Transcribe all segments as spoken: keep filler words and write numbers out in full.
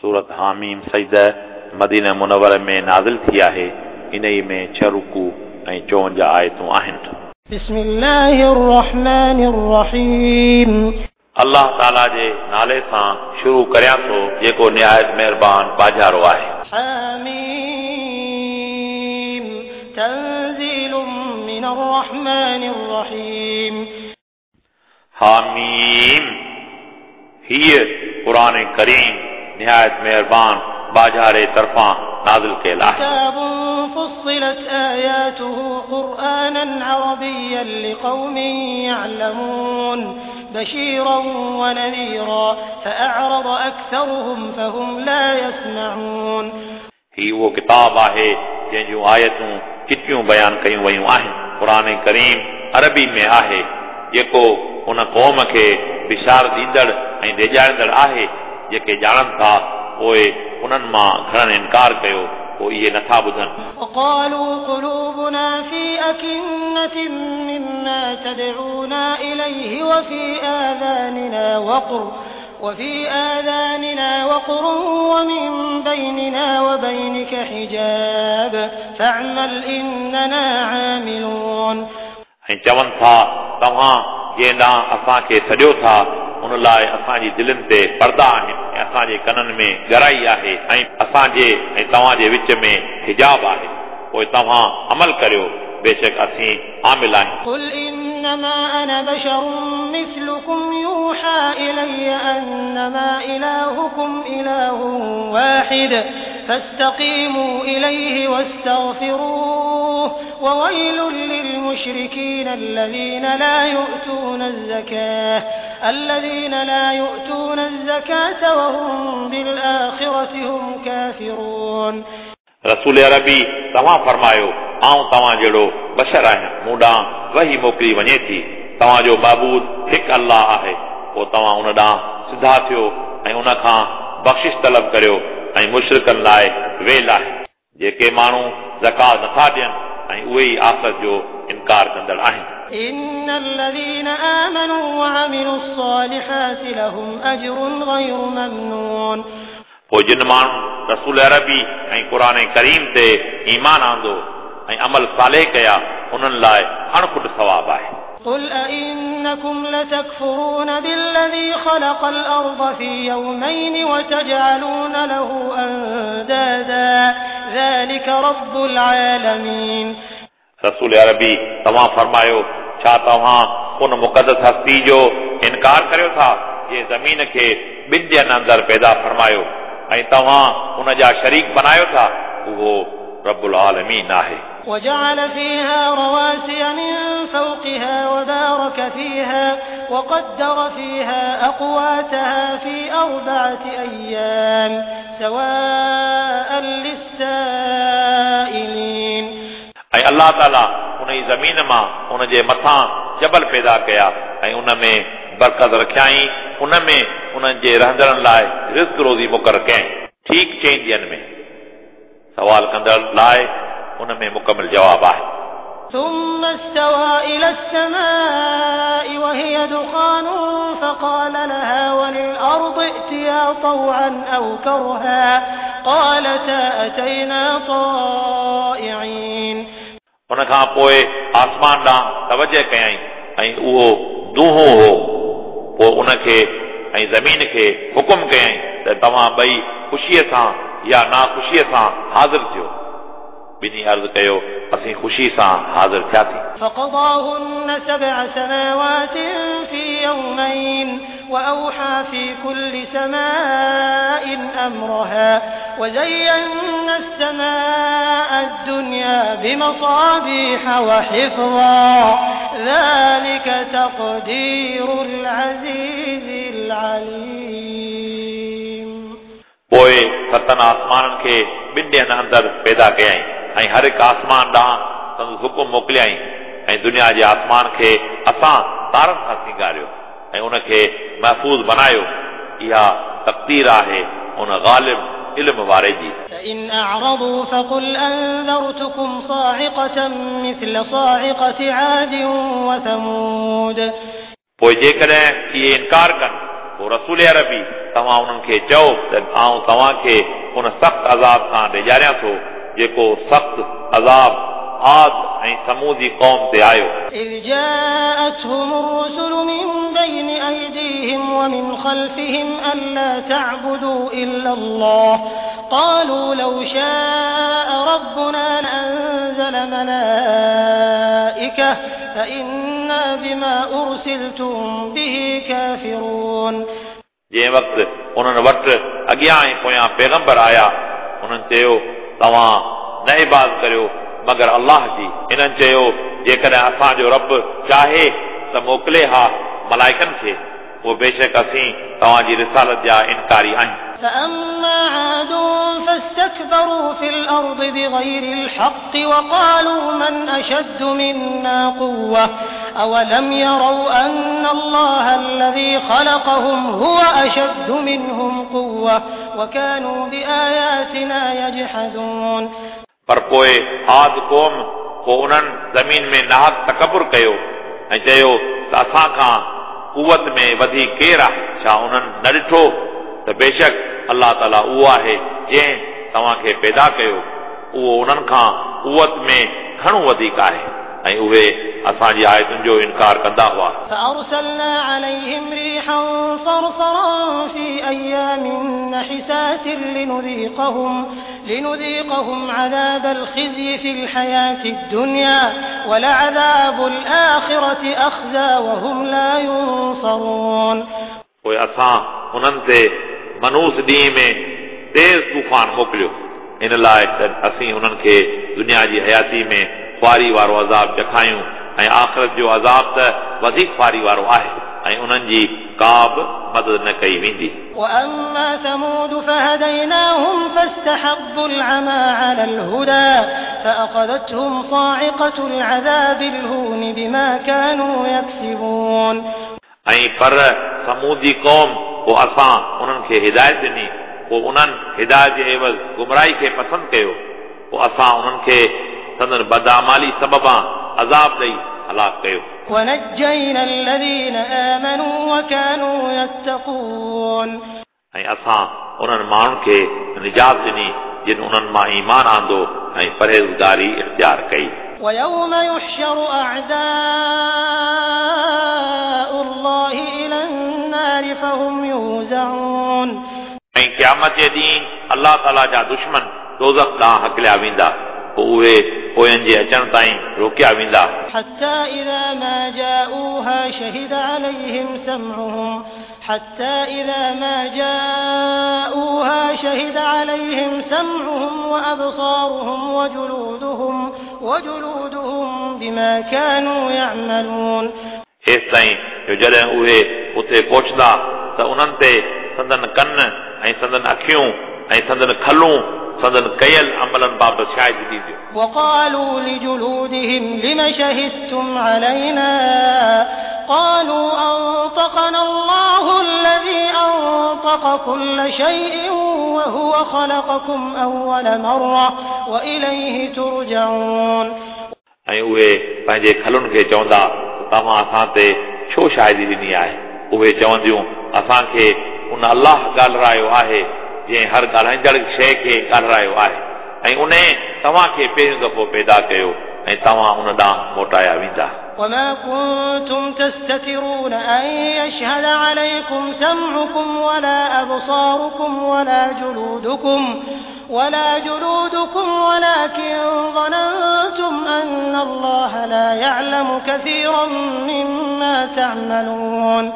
सूरत हामीम सजदा मदीना मुनव्वर में नाज़िल थी आहे। इन्ही में छह रुकू ऐं चोवंजाह आयतूं आहिनि। बिस्मिल्लाहिर रहमानिर रहीम। अल्लाह ताला जे नाले सां शुरू करियां थो जेको निहायत महिरबान बाजारो आहे। हामीम तंज़ीलुम मिनर रहमानिर रहीम। हामीम हीअ क़ुर करीम निहायत महिरबान बाजारे तरफ़ां नाज़िल कयल आहे। फुस्सिलत आयातुहु क़ुरआनन अरबिय्यन लिक़ौमिन यअलमून बशीरन व नज़ीरा फ़अअरद अक्सरुहुम फ़हुम ला यस्मऊन। ही उहो किताब आहे जंहिं जूं आयतूं चिटियूं बयान कयूं वयूं आहिनि। क़ुर करीम अरबी में आहे जेको उन क़ौम खे बिशार ॾींदड़ ऐं ॾेॼारींदड़ आहे जेके ॼाणनि था, पोइ उन्हनि मां घणनि इनकार कयो, पोइ इहे नथा ॿुधनि। وقالوا قلوبنا في أكنة مما تدعونا إليه وفي آذاننا وقر وفي آذاننا وقر ومن بيننا وبينك حجاب فاعمل إننا عاملون। ऐं चवनि था तव्हां जंहिं ॾांहुं असांखे सॾियो था उन लाइ असांजी दिलनि ते पर्दा आहिनि ऐं असांजे कननि में ॻराई आहे ऐं असांजे ऐं तव्हांजे विच में हिजाब आहे, पोइ तव्हां अमल करियो, बेशक असीं आमिल आहियूं। क़ुल इन्नमा अना बशरुन मिस्लुकुम यूहा इलय्य अन्नमा इलाहुकुम इलाहुन वाहिद फस्तक़ीमू इलैहि वस्तग़फिरूह ववैलुन लिलमुशरिकीन अल्लज़ीन ला यु'तून अज़्ज़काह الذين لا يؤتون الزكاة وهم بالآخرة هم كافرون। रसूल अरबी तव्हां फरमायो, आउं तव्हां जहिड़ो बशर आहियां, मूं ॾांहुं वही मोकिली वञे थी, तव्हांजो महबूद हिकु अल्लाह आहे, पोइ तव्हां उन ॾांहुं सिधा थियो ऐं उन खां बख़्शिश तलब करियो ऐं मुशरिकनि लाइ वेल आहे जेके माण्हू ज़कात नथा ॾियनि ऐं उहे ई आख़िरत जो इनकार कंदड़ आहिनि। إن الذين آمنوا وعملوا الصالحات لهم أجر غير ممنون। पोइ जिन माण्हू रसूल अरबी ऐं क़ुर करीम ते ईमान आंदो ऐं अमल साले कया, उन्हनि लाइ अणखुट सवाब आहे। قل أئنكم لتكفرون بالذي خلق الأرض في يومين وتجعلون له أندادا ذلك رب العالمين। रसूल अरबी तव्हां फरमायो, छा तव्हां उन मुक़दस हस्ती जो इनकार करियो था जंहिं ज़मीन खे ॿिनि ॾींहनि अंदरि पैदा फरमायो ऐं तव्हां उन जा शरीक बनायो था, उहो रब्बुल आलमीन आहे। وجعل فيها رواسي من فوقها وبارك فيها وقدر فيها أقواتها في أربعة أيام سواء للسائلين। ऐं अल्लाह ताला उन ई ज़मीन मां उन जे मथां जबल पैदा कया ऐं उन में बरकत रखियाई, उन में उन्हनि जे रहंदड़नि लाइ रिज़्क रोज़ी मुक़ररु कयईं, ठीकु चइनि ॾींहनि में। सवाल कंदड़ लाइ उन में मुकमल जवाब आहे। ثم استوى إلى السماء وهي دخان فقال لها وللأرض ائتيا طوعا أو كرها قالتا أتينا طائعين। उन खां पोइ आसमान ॾांहुं तवजह कयईं ऐं उहो दूहो हो, पोइ उनखे ऐं ज़मीन खे हुकुम कयईं त तव्हां ॿई ख़ुशीअ सां या नाख़ुशीअ सां हाज़िर थियो। ॿिन्ही अर्ज़ कयो, असीं ख़ुशी सां हाज़िर थियासीं। فقضاهن سبع سماوات في يومين وأوحى في كل سماء أمرها وزينا السماء الدنيا بمصابيح وحفظا ذلك تقدير العزيز العليم। पोइ सतनि आसमाननि खे ॿिनि ॾींहनि अंदरि पैदा कयईं ऐं हर हिकु आसमान ॾांहुं संदसि हुकुम मोकिलियाईं ऐं दुनिया जे आसमान खे असां तारनि सां सिंगारियो ऐं उनखे महफ़ूज़ बनायो। इहा तक़दीर आहे उन ग़ालिब इल्म वारे जी। فإن أعرضوا فقل أنذرتكم صاعقة مثل صاعقة عاد وثمود। पोइ जेकॾहिं इहे इनकार कनि, पोइ रसूल अरबी तव्हां उन्हनि खे चओ त आउं तव्हांखे उन सख़्तु अज़ाब खां ॾेजारियां थो जेको सख़्तु अज़ाब आद ऐं समूदी क़ौम ते आयो। إذ جاءتهم الرسل من بين أيديهم ومن خلفهم ألا تعبدوا إلا الله قالوا لو شاء ربنا لأنزل ملائكة فإنا بما أرسلتم به كافرون। जंहिं वक़्तु उन्हनि वटि अॻियां ऐं पोयां पैगंबर आया उन्हनि चयो तव्हां न इबादत करियो मगर अल्लाह जी। हिननि चयो जेकॾहिं असांजो रब चाहे त मोकिले हा मलाइकनि खे, पोइ बेशक असीं तव्हांजी रिसालत जा इनकारी आहियूं। فأما عاد فاستكبروا في الأرض بغير الحق وقالوا من أشد منا قوة أولم يروا أن الله الذي خلقهم هو أشد منهم قوة وكانوا بآياتنا يجحدون। पर पोइ आद क़ौम पोइ उन्हनि ज़मीन में नाहक तकबुर कयो ऐं चयो त असां खां कुवत में वधीक केरु आहे? छा उन्हनि न ॾिठो त बेशक अल्लाह ताला उहो आहे जंहिं तव्हांखे पैदा कयो, उहो उन्हनि खां कुवत में घणो वधीक आहे ऐं उहे असांजी आयतुनि जो इनकार कंदा हुआ। فأرسلنا عليهم ريحا صرصرا في أيام نحسات لنذيقهم لنذيقهم عذاب الخزي في الحياة الدنيا ولعذاب الآخرة أخزى وهم لا ينصرون। पोइ असां उन्हनि ते मनूस ॾींहं में तेज़ तूफ़ान मोकिलियो इन लाइ त असीं उन्हनि खे दुनिया जी हयाती में ख्वारी वारो अज़ाब चखायूं ऐं आख़िरत जो अज़ाब त वधीक ख्वारी वारो आहे ऐं उन्हनि जी का बि मदद न कई वेंदी। وأما ثمود فهديناهم فاستحبوا العمى على الهدى فأخذتهم صاعقة العذاب الهون بما كانوا يكسبون। ऐं पर समूदी क़ौम पोइ असां उन्हनि खे हिदायत ॾिनी, पोइ उन्हनि हिदायत जे एवज़ गुमराही खे पसंदि कयो, पोइ असां उन्हनि खे संदन बदामाली सबबां अज़ाब ॾेई हलाक कयो। ونجينا الذين آمنوا وكانوا يتقون। ऐं असां उन्हनि माण्हुनि खे निजात ॾिनी जिन उन्हनि मां ईमान आंदो ऐं परहेज़गारी इख़्तियार कई। ويوم يحشر أعداء الله إلى النار فهم يوزعون। ऐं क़यामत जे ॾींहुं अल्लाह ताला जा दुश्मन दोज़ख ॾांहुं हकलिया वेंदा, पोइ उहे पोयनि जे अचण ताईं रोकिया वेंदा। حتى إذا ما جاءوها شهد عليهم سمعهم حتى إذا ما جاءوها شهد عليهم سمعهم وأبصارهم وجلودهم وجلودهم بما كانوا يعملون। हेसि ताईं जो जॾहिं उहे उते पहुचंदा त उन्हनि ते संदन कन ऐं संदन अखियूं ऐं संदन खलूं संदन कयल अमलनि बाबति शाहिदी ॾींदियूं। وقالوا لجلودهم لم شهدتم علينا قالوا أنطقنا الله الذي أنطق كل شيء وهو خلقكم أول مرة وإليه ترجعون। ऐं उहे पंहिंजे खलुनि खे चवंदा तव्हां असां ते छो शाहिदी ॾिनी आहे? उहे चवंदियूं असांखे उन अल्लाह ॻाल्हारायो आहे जंहिं हर ॻाल्हाईंदड़ शइ खे ॻाल्हारायो आहे ऐं उन तव्हांखे पहिरियों दफ़ो पैदा कयो ऐं तव्हां उन ॾांहुं मोटाया वेंदा। وما كنتم تستترون أن يشهد عليكم سمعكم ولا أبصاركم ولا جلودكم ولا جلودكم ولكن ظننتم أن الله لا يعلم كثيرا مما تعملون।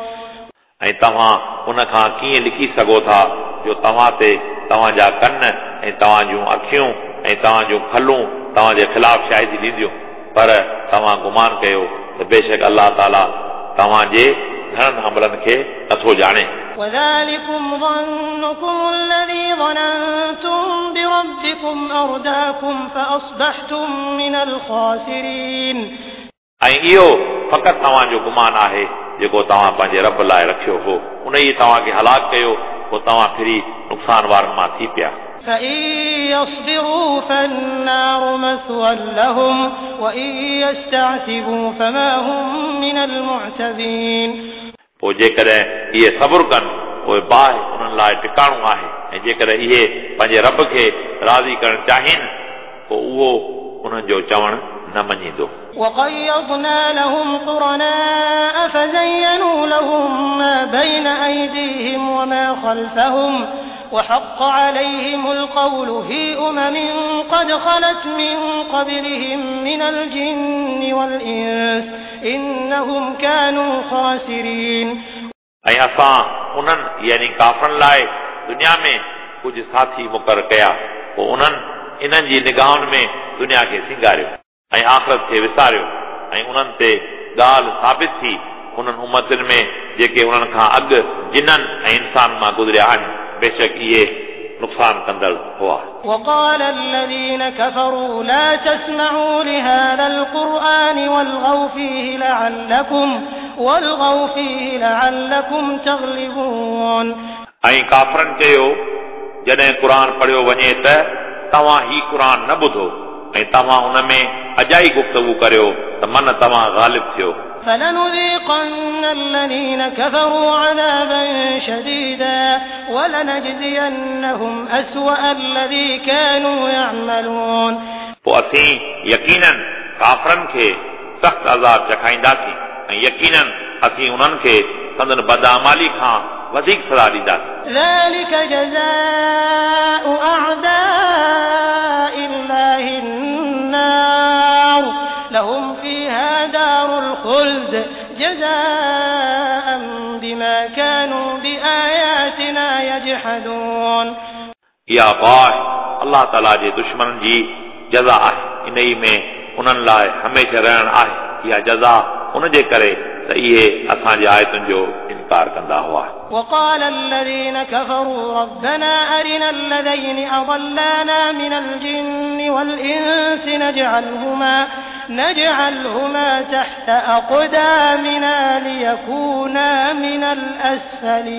ऐं तव्हां उन खां कीअं लिखी सघो था जो तव्हां ते तव्हांजा कन ऐं तव्हांजूं अखियूं ऐं तव्हांजूं खलूं तव्हांजे ख़िलाफ़ शाहिदी ॾींदियूं, पर तव्हां गुमान कयो त बेशक अल्लाह ताला तव्हांजे घणनि अमलनि खे नथो ॼाणे। وذلكم ظنكم الذي ظننتم بربكم أرداكم فأصبحتم من الخاسرين। ऐं इहो फ़क़ति तव्हांजो गुमान आहे जेको तव्हां पंहिंजे रब लाइ रखियो हो, उन ई तव्हांखे हलाक कयो, पोइ तव्हां फिरी नुक़सान वारनि मां थी पिया। فإن يصبروا فالنار مثوى لهم وإن يستعتبوا فما هم من المعتبين। पोइ जेकॾहिं इहे सब्र कनि पोइ बाहि उन्हनि उन्हनि लाइ टिकाणो आहे ऐं जेकॾहिं इहे पंहिंजे रब खे राज़ी करणु चाहिनि पोइ उहो उन्हनि जो चवणु न मञींदो। وقيضنا لهم قرناء فزينوا لهم ما بين أيديهم وما خلفهم وحق عليهم القول في أمم قد خلت من قبلهم من الجن والإنس إنهم كانوا خاسرين। ऐं असां उन्हनि यानी काफ़रनि लाइ दुनिया में कुझु साथी मुक़ररु कया, पोइ उन्हनि इन्हनि जी निगाहुनि में दुनिया खे सिंगारियो ऐं आख़िरत खे विसारियो ऐं उन्हनि ते ॻाल्हि साबित थी उन्हनि उम्मतुनि में जेके उन्हनि खां अॻु जिननि ऐं इंसान मां गुज़रिया आहिनि, बेशक इहे नुक़सान कंदड़ हुआ। وقال الذين كفروا لا تسمعوا لهذا القرآن والغوا فيه لعلكم والغوا فيه لعلكم تغلبون। ऐं काफ़रनि चयो जॾहिं क़ुर पढ़ियो वञे त तव्हां ही क़ुर न ॿुधो ऐं तव्हां उन में अजाई गुफ्तगू करियो त मन तव्हां ग़ालिब थियो। فلنذيقن الذين كفروا عذابا شديدا ولنجزينهم أسوأ الذي كانوا يعملون। पोइ असीं यकीनन काफ़रनि खे सख़्तु अज़ाब चखाईंदासीं ऐं यकीनन असीं उन्हनि खे संदन बदआमाली खां वधीक सज़ा ॾींदासीं। ذلك جزاء أعداء الله النار لهم فيها دار الخلد جزاء بما كانوا بآياتنا يجحدون। इहा बाहि अल्लाह ताला जे दुश्मननि जी जज़ा आहे, इन ई में उन्हनि लाइ हमेशह रहणु आहे। इहा जज़ा उन जे करे त इहे असांजे आयतुनि जो इनकार कंदा हुआ। وقال الذين كفروا ربنا أرنا الذين أضلانا من الجن والإنس نجعلهما نجعلهما تحت أقدامنا ليكونا من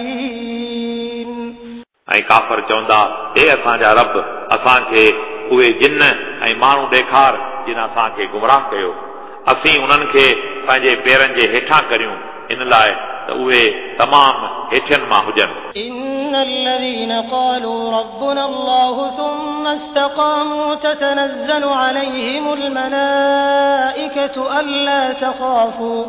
الأسفلين। ऐं काफ़र चवंदा, हे असांजा रब, असांखे उहे जिन ऐं माण्हू ॾेखार जिन असांखे गुमराह कयो, असीं उन्हनि खे पंहिंजे पेरनि जे हेठां करियूं, इन लाइ त उहे तमामु हेठियनि मां हुजनि। إن الذين قالوا ربنا الله ثم استقاموا تتنزل عليهم الملائكة ألا تخافوا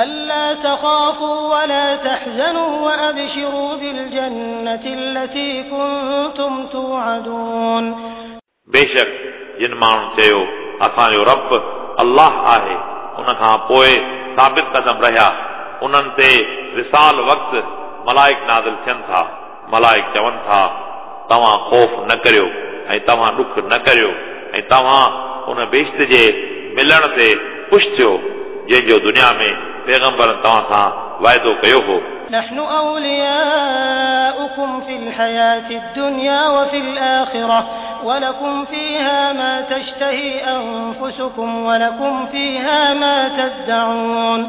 ألا تخافوا ولا تحزنوا وأبشروا بالجنة التي كنتم توعدون। बेशक जिन माण्हुनि चयो असांजो रब अल्लाह आहे, उन खां पोइ साबित कदम रहिया, उन्हनि ते विसाल वक़्तु मलाइक नाज़िल थियनि था। मलाइक चवनि था, तव्हां ख़ौफ़ न करियो ऐं तव्हां ॾुख न करियो ऐं तव्हां उन बेश्त जे मिलण ते ख़ुशि थियो जंहिंजो दुनिया में पैगंबर तव्हां सां वाइदो कयो हो। نحن أولياؤكم في الحياة الدنيا وفي الآخرة ولكم فيها ما تشتهي أنفسكم ولكم فيها ما تدعون।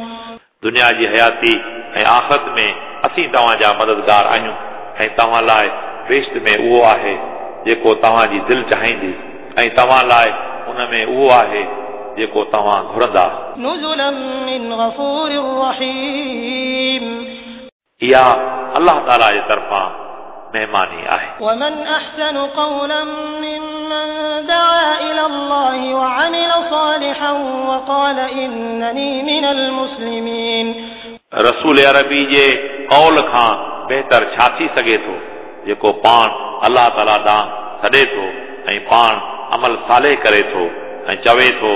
दुनिया जी हयाती ऐं आख़िरत में असीं तव्हांजा मददगार आहियूं ऐं तव्हां लाइ बेश्त में उहो आहे जेको तव्हांजी दिलि चाहींदी ऐं तव्हां लाइ उन में उहो आहे जेको तव्हां घुरंदा। نزلا من غفور رحيم। इहा अल्लाह ताला जे तरफ़ां महिमानी आहे। ومن أحسن قولا ممن دعا إلى الله وعمل صالحا وقال إنني من المسلمين। रसूल अरबी जे क़ौल खां बहितर छा थी सघे थो जेको पाण अल्लाह ताला ॾांहुं सॾे थो ऐं पाण अमल साले करे थो ऐं चवे थो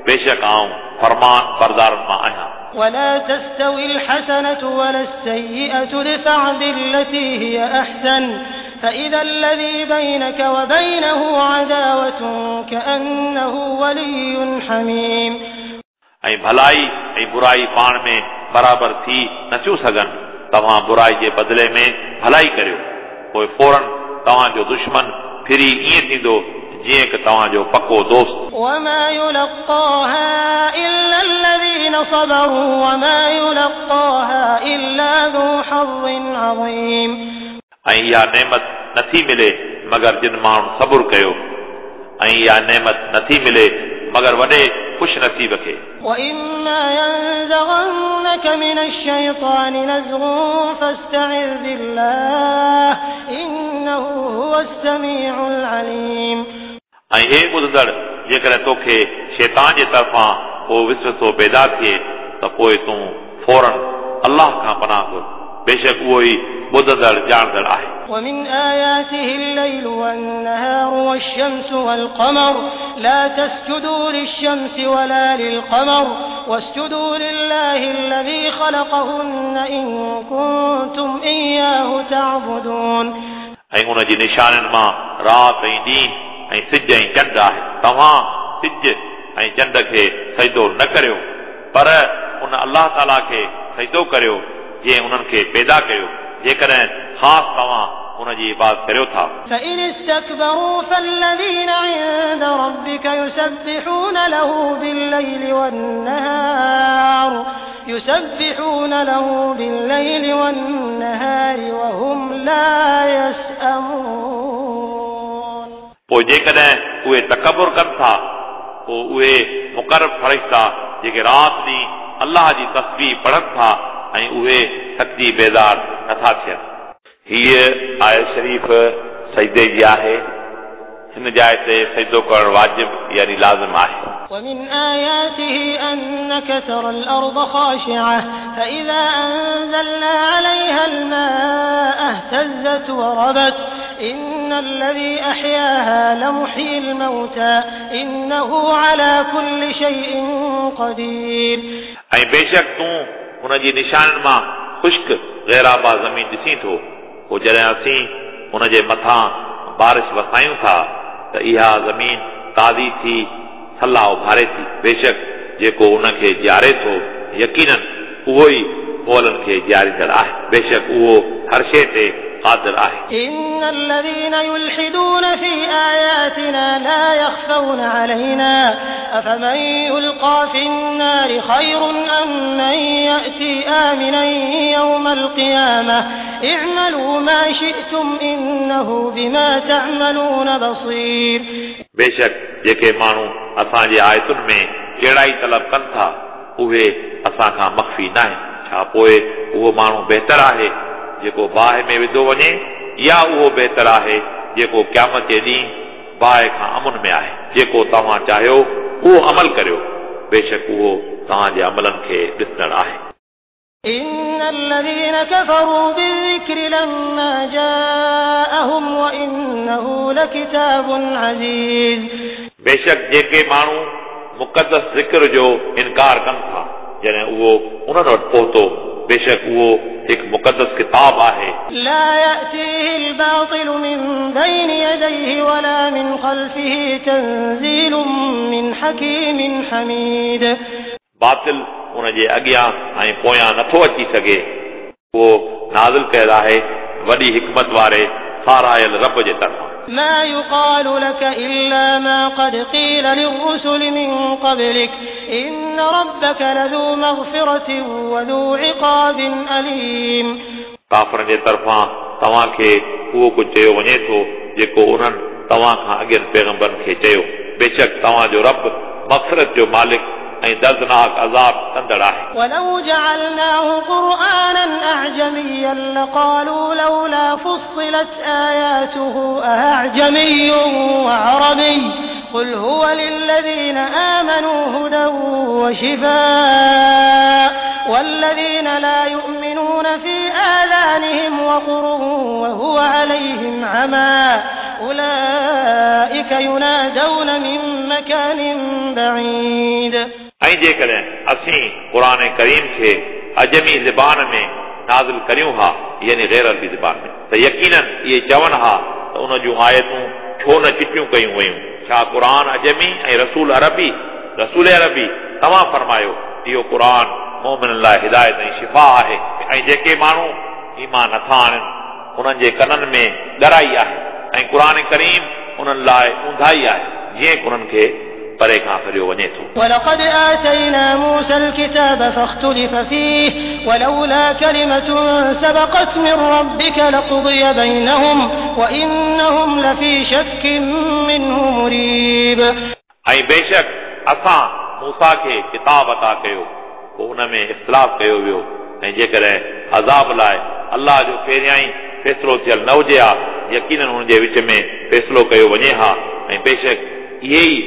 बेशक आउं फरमान बरदारनि मां आहियां। ولا تستوي الحسنة ولا السيئة ادفع بالتي هي أحسن فإذا الذي بينك وبينه عداوة كأنه ولي حميم। ऐं भलाई ऐं बुराई पाण में बराबरि थी नथियूं सघनि, तव्हां बुराई जे बदिले में भलाई करियो, पोइ फ़ौरन तव्हांजो दुश्मन फिरी ईअं थींदो जीअं की तव्हांजो पको दोस्त। وما يلقاها إلا الذين صبروا وما يلقاها إلا ذو حظ عظيم। ऐं इहा नेमत नथी मिले मगर जिन माण्हुनि सबुरु कयो, ऐं इहा नेमत नथी मिले मगर वॾे ख़ुशि नसीब खे। وإما ينزغنك ينزغنك من الشيطان نزغ فاستعذ بالله إنه هو السميع العليم. ऐं हे ॿुधंदड़, जेकॾहिं तोखे शैतान जे तरफ़ां को विसविसो पैदा थिए त पोइ तूं फौरन अल्लाह खां पनाह घुर, बेशक उहो ई ॿुधंदड़ ॼाणंदड़ आहे। ومن آياته الليل والنهار والشمس والقمر لا تسجدوا للشمس ولا للقمر واسجدوا لله الذي خلقهن إن كنتم إياه تعبدون. ऐं उन जी निशाननि मां राति ऐं ॾींहुं ऐं सिज ऐं चंड आहे। तव्हां सिज ऐं चंड खे सजदो न करियो, पर उन अल्लाह ताला खे सजदो करियो जंहिं उन्हनि खे पैदा कयो, जेकॾहिं ख़ासि तव्हां उन जी इबादत करियो था। فإن استكبروا فالذين عند ربك يسبحون له بالليل والنهار يسبحون له بالليل والنهار وهم لا يسأمون. पोइ जेकॾहिं उहे तकबुर कनि था, पोइ उहे मुक़रब फ़रिश्ता जेके राति ॾींहुं अल्लाह जी तस्बीह पढ़नि था ऐं उहे थकिजी बेज़ार नथा थियनि। हीअ आयत शरीफ़ सजदे जी आहे। हिन जाइ ते सजदो करणु वाजिब यानी लाज़िम आहे। ومن آياته أنك ترى الأرض خاشعة فإذا أنزلنا عليها الماء اهتزت وربت إن الذي أحياها لمحيي الموتى إنه على كل شيء قدير. ऐं बेशक तूं उन जी निशाननि मां ख़ुश्क ग़ैराबा ज़मीन ॾिसीं थो, पोइ जॾहिं असीं उन जे मथां बारिश वसायूं था त इहा ज़मीन ताज़ी थी सलाह उभारे थी। बेशक जेको उनखे जीआरे थो यकीनन उहो ई मुअलनि खे जीआरींदड़ आहे। बेशक उहो हर शइ ते क़ादिर आहे। إن الذين يلحدون في آياتنا لا يخفون علينا أفمن يلقى في النار خير أم من يأتي آمنا يوم القيامة اعملوا ما شئتم إنه بما تعملون بصير. बेशक जेके माण्हू असांजे आयतुनि में कहिड़ाई तलब कनि था उहे असां खां मख़फ़ी न आहिनि। छा पोइ उहो माण्हू बहितर आहे जेको बाहि में विधो वञे, या उहो बहितर आहे जेको क़यामत जे ॾींहुं बाहि खां अमन में आहे? जेको तव्हां चाहियो उहो अमल करियो, बेशक उहो तव्हांजे अमलनि खे ॾिसंदड़ आहे। إن الذين كفروا بالذكر لما جاءهم وإنه لكتاب عزيز. बेशक जेके माण्हू मुक़दस ज़िक्र जो इनकार कनि था जॾहिं उहो उन्हनि वटि पहुतो, बेशक उहो हिकु मुक़दस किताब आहे। لا يأتيه الباطل من بين يديه ولا من خلفه تنزيل من حكيم حميد. बातिल उन जे अॻियां ऐं पोयां नथो अची सघे, उहो नाज़िल कयल आहे वॾी हिकमत वारे सारायल रब जे तरफ़ां। ما يقال لك إلا ما قد قيل للرسل من قبلك إن ربك لذو مغفرة وذو عقاب أليم. काफ़रनि जे तरफ़ां तव्हांखे उहो कुझु चयो वञे थो जेको उन्हनि तव्हां खां अॻियनि पैगम्बरनि खे चयो। बेशक तव्हांजो रब मग़फ़िरत जो मालिक ऐं दर्दनाक अज़ाब कंदड़ आहे। ولو جعلناه قرآنا أعجميا لقالوا لولا فصلت آياته أعجمي وعربي قل هو للذين آمنوا هدى وشفاء والذين لا يؤمنون في آذانهم وقر وهو عليهم عمى أولئك ينادون من مكان بعيد. ऐं जेकॾहिं असीं क़ुर करीम खे अजमी ज़बान में नाज़िल करियूं हा, यानी ग़ैर अरबी ज़बान में, त यकीनन इहे चवनि हा त उन जूं आयतूं छो न चिटियूं कयूं वयूं? छा क़ुर अजमी ऐं रसूल अरबी रसूल अरबी? तव्हां फरमायो, इहो क़ुर मोमिननि लाइ हिदायत ऐं शिफ़ा आहे। ऐं जेके माण्हू ईमान नथा आणनि उन्हनि जे कननि में ॻराई आहे ऐं क़ुर करीम उन्हनि लाइ ऊंधाई आहे, जीअं उन्हनि खे परे खां फिरियो वञे थो। ولقد آتينا موسى الكتاب فاختلف فيه ولولا كلمة سبقت من ربك لقضي بينهم وإنهم لفي شك منه مريب. ऐं बेशक असां मूसा खे किताब अता कयो, पोइ उन में इख़्तिलाफ़ कयो वियो ऐं जेकॾहिं अज़ाब लाइ अलाह जो पहिरियां ई फ़ैसिलो थियल न हुजे हा यकीनन हुन जे विच में फ़ैसिलो कयो वञे हा ऐं बेशक इहे ई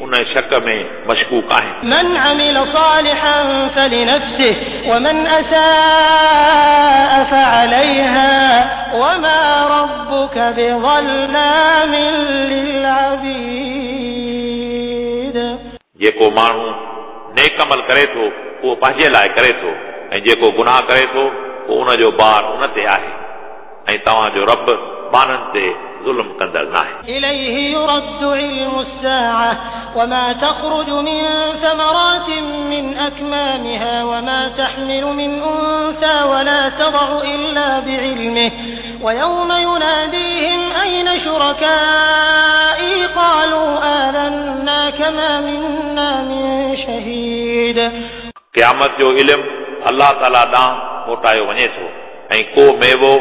उन शक में मशकूक आहिनि। من عمل صالحا فلنفسه ومن أساء فعليها وما ربك بظلام للعبيد। जेको माण्हू नेक अमल करे थो उहो पंहिंजे लाइ करे थो ऐं जेको गुनाह करे थो उहो उनजो बार उन ते आहे ऐं तव्हांजो रब ॿारनि ते ज़ुल्म कंदड़ न आहे। إليه يرد علم الساعة وما تخرج من ثمرات من أكمامها وما تحمل من أنثى ولا تضع إلا بعلمه ويوم يناديهم أين شركائي قالوا آذناك ما منا من شهيد। क़यामत जो इल्म अलाह ताला ॾांहुं मोटायो वञे थो ऐं को मेवो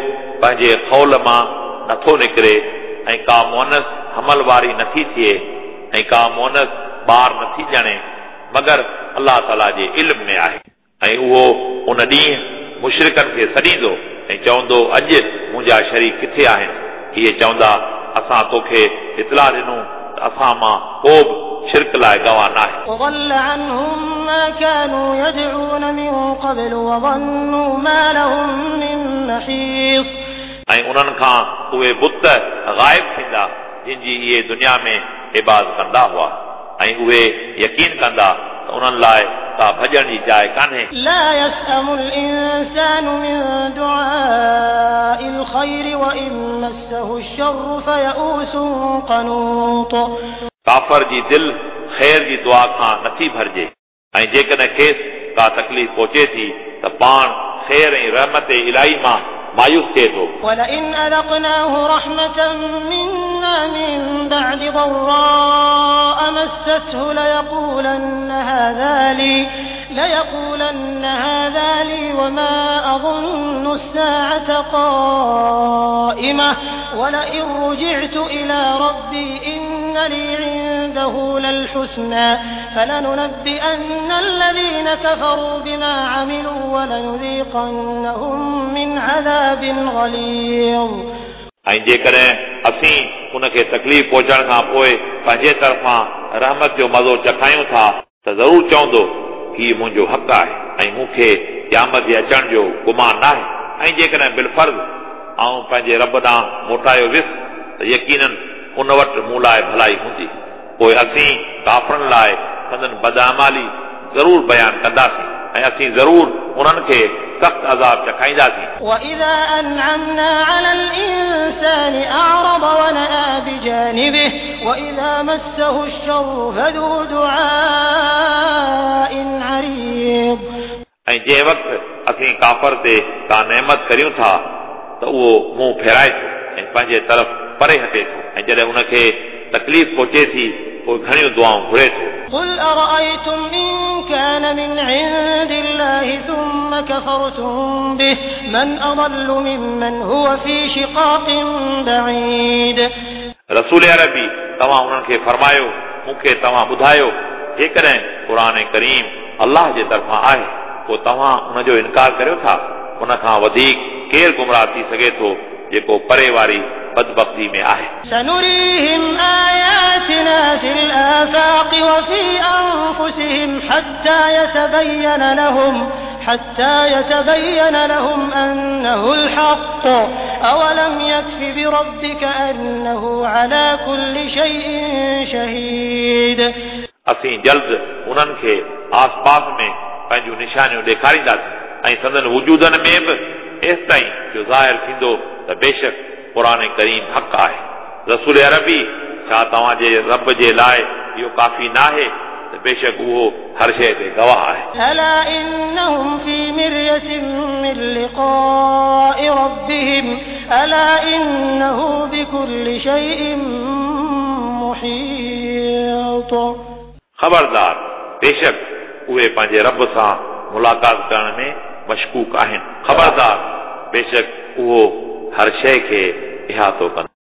पंहिंजे खौल मां नथो निकिरे ऐं का मोनस हमल वारी नथी थिए ऐं का मोनस ॿार नथी ॼणे मगर अलाह ताला जे इल्म में आहे ऐं उहो उन ॾींहुं मुशरिकनि खे सॾींदो ऐं चवंदो अॼु मुंहिंजा शरीक किथे आहिनि? इहे चवंदा असां तोखे इतला ॾिनो त असां मां को बि शिरक लाइ गवाह न आहे। وضل عنهم ما كانوا يدعون من قبل وظنوا ما لهم من محيص। ऐं उन्हनि खां उहे बुत ग़ाइब थींदा जिन जी इहे दुनिया में इबादत कंदा हुआ ऐं उहे यकीन कंदा त उन्हनि लाइ का भॼण जी जाइ कान्हे। لا يسأم الإنسان من دعاء الخير وإن مسه الشر فيئوس قنوط। काफ़र जी दिलि ख़ैर जी दुआ खां नथी भरिजे ऐं जेकॾहिं खेसि का तकलीफ़ पहुचे थी त पाण ख़ैर ऐं रहमत इलाही मां मायूस थिए थो। ولئن أذقناه رحمة منا من بعد ضراء مسته ليقولن هذا لي ليقولن هذا لي وما أظن الساعة قائمة ولئن رجعت إلى ربي إن لي عنده للحسنى فلننبئن الذين كفروا بما عملوا ولنذيقنهم من عذاب غليظ। ऐं जेकॾहिं असीं उनखे तकलीफ़ पहुचण खां पोइ पंहिंजे तरफ़ां रहमत जो मज़ो चखायूं था त ज़रूरु चवंदो हीउ मुंहिंजो हक़ आहे ऐं मूंखे क़यामत जे अचण जो गुमान न आहे ऐं जेकॾहिं बिलफ़र्ज़ आउं पंहिंजे रब ॾांहुं मोटायो वियुसि त यकीनन उन वटि मूं लाइ भलाई हूंदी। पोइ असीं काफ़रनि लाइ संदन बदआमाली ज़रूरु बयानु कंदासीं ऐं असीं ज़रूरु उन्हनि खे सख़्तु अज़ाब चखाईंदासीं। وإذا أنعمنا على الإنسان أعرض ونأى بجانبه وإذا مسه الشر فذو دعاء عريض। ऐं जंहिं वक़्तु असीं काफ़र ते का नेमत करियूं था त उहो मुंहुं फेराए थो ऐं पंहिंजे तरफ़ परे हटे थो ऐं जॾहिं उनखे तकलीफ़ पहुचे थी पोइ घणियूं दुआऊं घुरे थो। قل أرأيتم إن كان من عند الله ثم كفرتم به من أضل ممن هو في شقاق بعيد। रसूल अरबी तव्हां उन्हनि खे फरमायो मूंखे तव्हां ॿुधायो जेकॾहिं क़ुर करीम अलाह जे तरफ़ां आहे पोइ तव्हां उनजो इनकार करियो था उन खां वधीक केरु गुमराह थी सघे थो जेको परे वारी बदबख़्ती में आहे। سنريهم آياتنا في الآفاق وفي أنفسهم حتى يتبين لهم حتى يتبين لهم أنه الحق أولم يكف بربك أنه على كل شيء شهيد। असीं जल्द उन्हनि खे आसपास में पंहिंजूं निशानियूं ॾेखारींदासीं ऐं संदन वजूदनि में बि एसि ताईं जो ज़ाहिर थींदो त बेशक क़ुर करीम हक़ आहे। रसूल अरबी छा तव्हांजे रब जे लाइ इहो काफ़ी न आहे त बेशक उहो हर शइ ते गवाह आहे। ألا إنهم في مرية من لقاء ربهم ألا إنه بكل شيء محيط। ख़बरदार बेशक उहे पंहिंजे रब सां मुलाक़ात करण में मशकूक आहिनि। ख़बरदार बेशक उहो हर शइ खे इहातो कंदो।